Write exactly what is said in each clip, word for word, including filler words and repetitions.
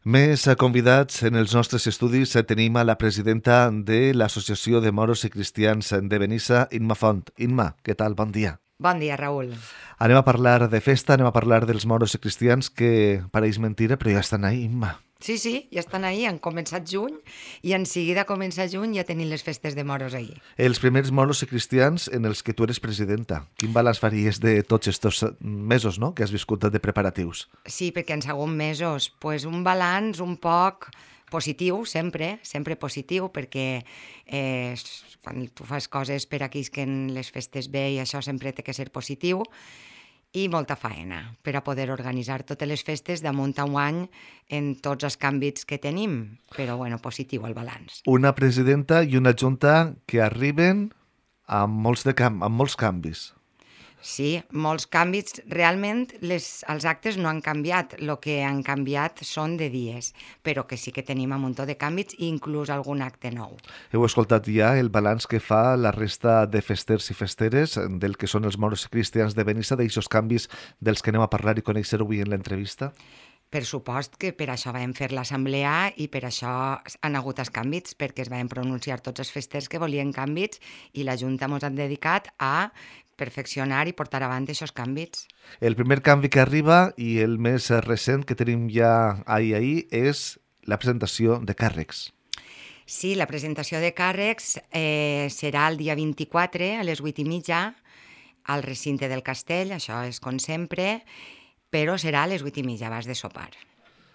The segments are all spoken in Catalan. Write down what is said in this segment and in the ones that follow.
Més convidats en els nostres estudis tenim a la presidenta de l'Associació de Moros i Cristians de Benissa, Imma Font. Imma, què tal? Bon dia. Bon dia, Raül. Anem a parlar de festa, anem a parlar dels moros i cristians, que pareix mentira, però ja estan ahí, Imma. Sí, sí, ja estan ahí, han començat juny i en seguida comença juny ja tenim les festes de moros ahí. Els primers moros i cristians en els que tu eres presidenta. Quin balanç faries de tots estos mesos, no?, que has viscut de preparatius? Sí, perquè han sigut mesos. Pues un balanç un poc positiu, sempre, sempre positiu, perquè eh, quan tu fas coses per aquells que en les festes bé i això sempre té que ser positiu, i molta faena per a poder organitzar totes les festes damunt a un any en tots els canvis que tenim, però bueno, positiu el balanç. Una presidenta i una junta que arriben amb molts, de cam amb molts canvis. Sí, molts canvis. Realment les, els actes no han canviat, el que han canviat són de dies, però que sí que tenim un muntó de canvis i inclús algun acte nou. Heu escoltat ja el balanç que fa la resta de festers i festeres del que són els moros i cristians de Benissa, d'aixòs canvis dels que anem a parlar i conèixer avui en l'entrevista? Per supost que per això vam fer l'assemblea i per això han hagut els canvis, perquè es van pronunciar tots els festers que volien canvis i la Junta ens han dedicat a perfeccionar i portar avant aquests canvis. El primer canvi que arriba i el més recent que tenim ja ahir ahir és la presentació de càrrecs. Sí, la presentació de càrrecs eh, serà el dia vint-i-quatre a les vuit i mitja al recinte del castell, això és com sempre, però serà a les vuit i mitja abans de sopar.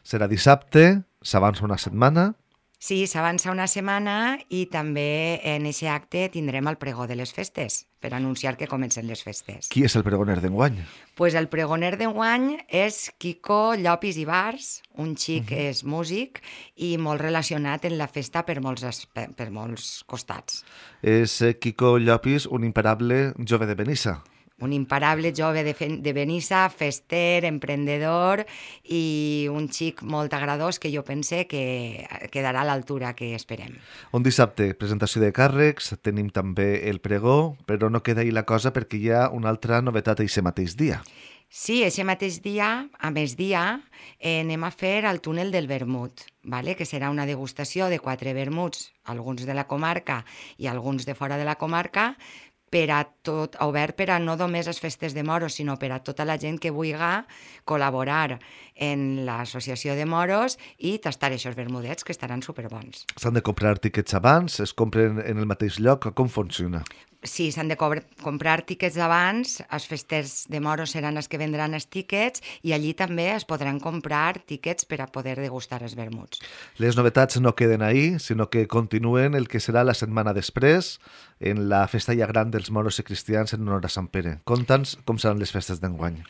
Serà dissabte, s'avança una setmana. Sí, s'avança una setmana i també en aquest acte tindrem el pregó de les festes, per anunciar que comencen les festes. Qui és el pregoner d'enguany? Pues el pregoner d'enguany és Quico Llopis i Bars, un xic uh-huh. és músic i molt relacionat en la festa per molts, per molts costats. És Quico Llopis, un imparable jove de Benissa. Un imparable jove de, de Benissa, fester, emprendedor i un xic molt agradós que jo pense que quedarà a l'altura que esperem. Un dissabte, presentació de càrrecs, tenim també el pregó, però no queda ahí la cosa perquè hi ha una altra novetat aquest mateix dia. Sí, aquest mateix dia, a migdia, eh, anem a fer el túnel del vermut, vale? Que serà una degustació de quatre vermuts, alguns de la comarca i alguns de fora de la comarca, per a tot, obert per a no només les festes de moros, sinó per a tota la gent que vulgui col·laborar en l'associació de moros i tastar aquests vermudets, que estaran superbons. S'han de comprar tiquets abans? Es compren en el mateix lloc? Com funciona? Sí, s'han de comprar tiquets abans, els festers de moros seran els que vendran els tiquets i allí també es podran comprar tiquets per a poder degustar els vermuts. Les novetats no queden ahí, sinó que continuen el que serà la setmana després, en la festa ja gran dels moros i cristians en honor a Sant Pere. Conta'ns com seran les festes d'enguany.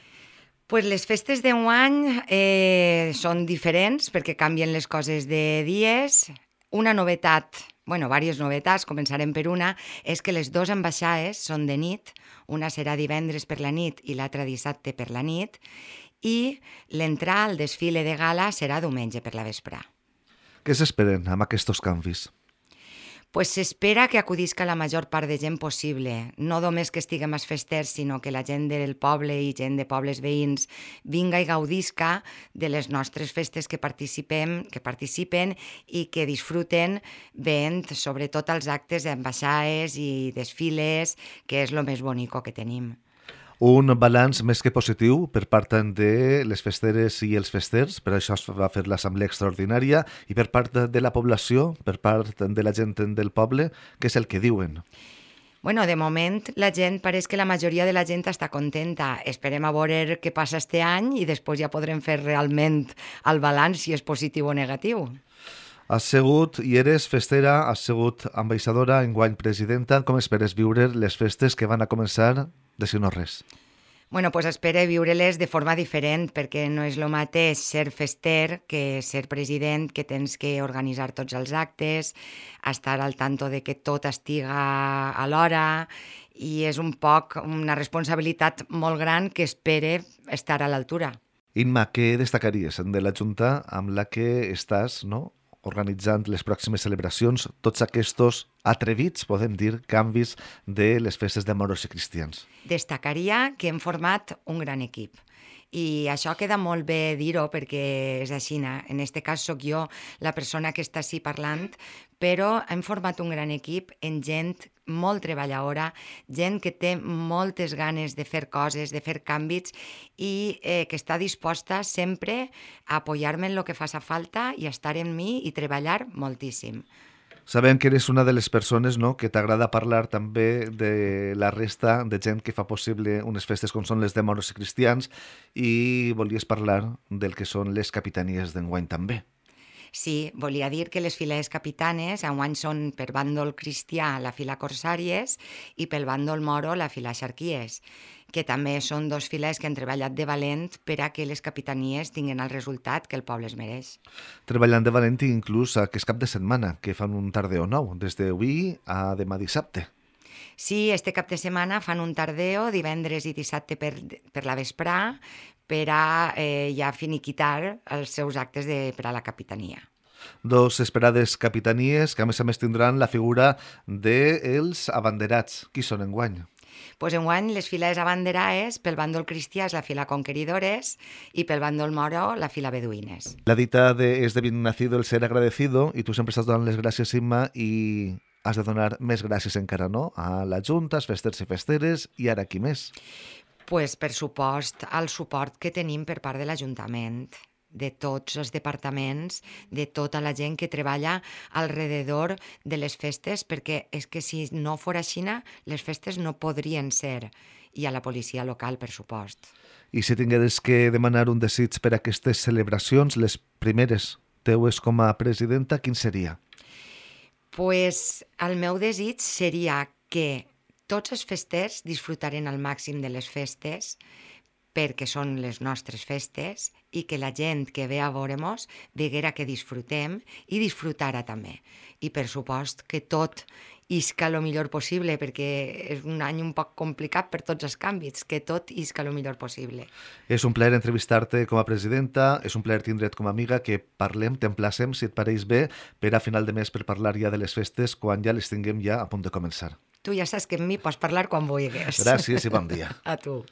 Pues les festes d'enguany eh, són diferents perquè canvien les coses de dies. Una novetat, bueno, diverses novetats, començarem per una, és que les dues ambaixades són de nit, una serà divendres per la nit i l'altra dissabte per la nit, i l'entrar al desfile de gala serà diumenge per la vespre. Què s'esperen amb aquests canvis? Pues s'espera que acudisca la major part de gent possible, no només que estiguem als festers, sinó que la gent del poble i gent de pobles veïns vinga i gaudisca de les nostres festes que participem, que participen i que disfruten veient sobretot els actes d'ambaixades i desfiles, que és el més bonico que tenim. Un balanç més que positiu per part de les festeres i els festers, per això es va fer l'assemblea extraordinària, i per part de la població, per part de la gent del poble, què és el que diuen? Bueno, de moment la gent, pareix que la majoria de la gent està contenta. Esperem a veure què passa este any i després ja podrem fer realment el balanç si és positiu o negatiu. Has sigut i eres festera, has sigut ambaixadora, enguany presidenta. Com esperes viure les festes que van a començar de si no res? Bueno, pues espero viure-les de forma diferent, perquè no és el mateix ser fester que ser president, que tens que organitzar tots els actes, estar al tanto de que tot estiga a l'hora, i és un poc una responsabilitat molt gran que espere estar a l'altura. Imma, què destacaries de la Junta amb la que estàs, no?, organitzant les pròximes celebracions, tots aquests atrevits, podem dir, canvis de les festes de moros i cristians? Destacaria que hem format un gran equip I això queda molt bé dir-ho perquè és així. En aquest cas sóc jo la persona que està així parlant, però hem format un gran equip en gent molt treballadora, gent que té moltes ganes de fer coses, de fer canvis i eh, que està disposta sempre a apoyar-me en el que faci falta i a estar en mi i treballar moltíssim. Sabem que eres una de les persones, no?, que t'agrada parlar també de la resta de gent que fa possible unes festes com són les de moros i cristians i volies parlar del que són les capitanies d'enguany també. Sí, volia dir que les files capitanes enguany són per bàndol cristià la fila Corsàries i pel bàndol moro la fila Xarquies, que també són dos files que han treballat de valent per a que les capitanies tinguin el resultat que el poble es mereix. Treballant de valent inclús aquest cap de setmana, que fan un tardeo nou, des d'avui a demà dissabte. Sí, este cap de setmana fan un tardeo, divendres i dissabte per, per la vesprà, per a eh, ja finiquitar els seus actes de, per a la capitania. Dos esperades capitanies que a més a més tindran la figura dels abanderats. Qui són enguany? Pues enguany les files abanderades pel bàndol cristià és la fila Conqueridores i pel bàndol moro la fila Beduïnes. La dita de és de bien nacido el ser agradecido i tu sempre estàs donant les gràcies, Imma, i has de donar més gràcies encara, no?, a la Junta, als festers i festeres, i ara qui més? Pues, per supost, el suport que tenim per part de l'Ajuntament, de tots els departaments, de tota la gent que treballa alrededor de les festes, perquè és que si no fos així, les festes no podrien ser, i a la policia local, per supost. I si tingueres que demanar un desig per a aquestes celebracions, les primeres teues com a presidenta, quin seria? Pues el meu desig seria que tots els festers disfrutaren al màxim de les festes perquè són les nostres festes i que la gent que ve a veure-mos veguera que disfrutem i disfrutara també. I per supost que tot isca el millor possible perquè és un any un poc complicat per tots els canvis, que tot isca el millor possible. És un plaer entrevistar-te com a presidenta, és un plaer tindre't com a amiga, que parlem, t'emplacem, si et pareix bé, per a final de mes per parlar ja de les festes quan ja les tinguem ja a punt de començar. Tu ja saps que amb mi pots parlar quan vulguis. Gràcies i bon dia. A tu.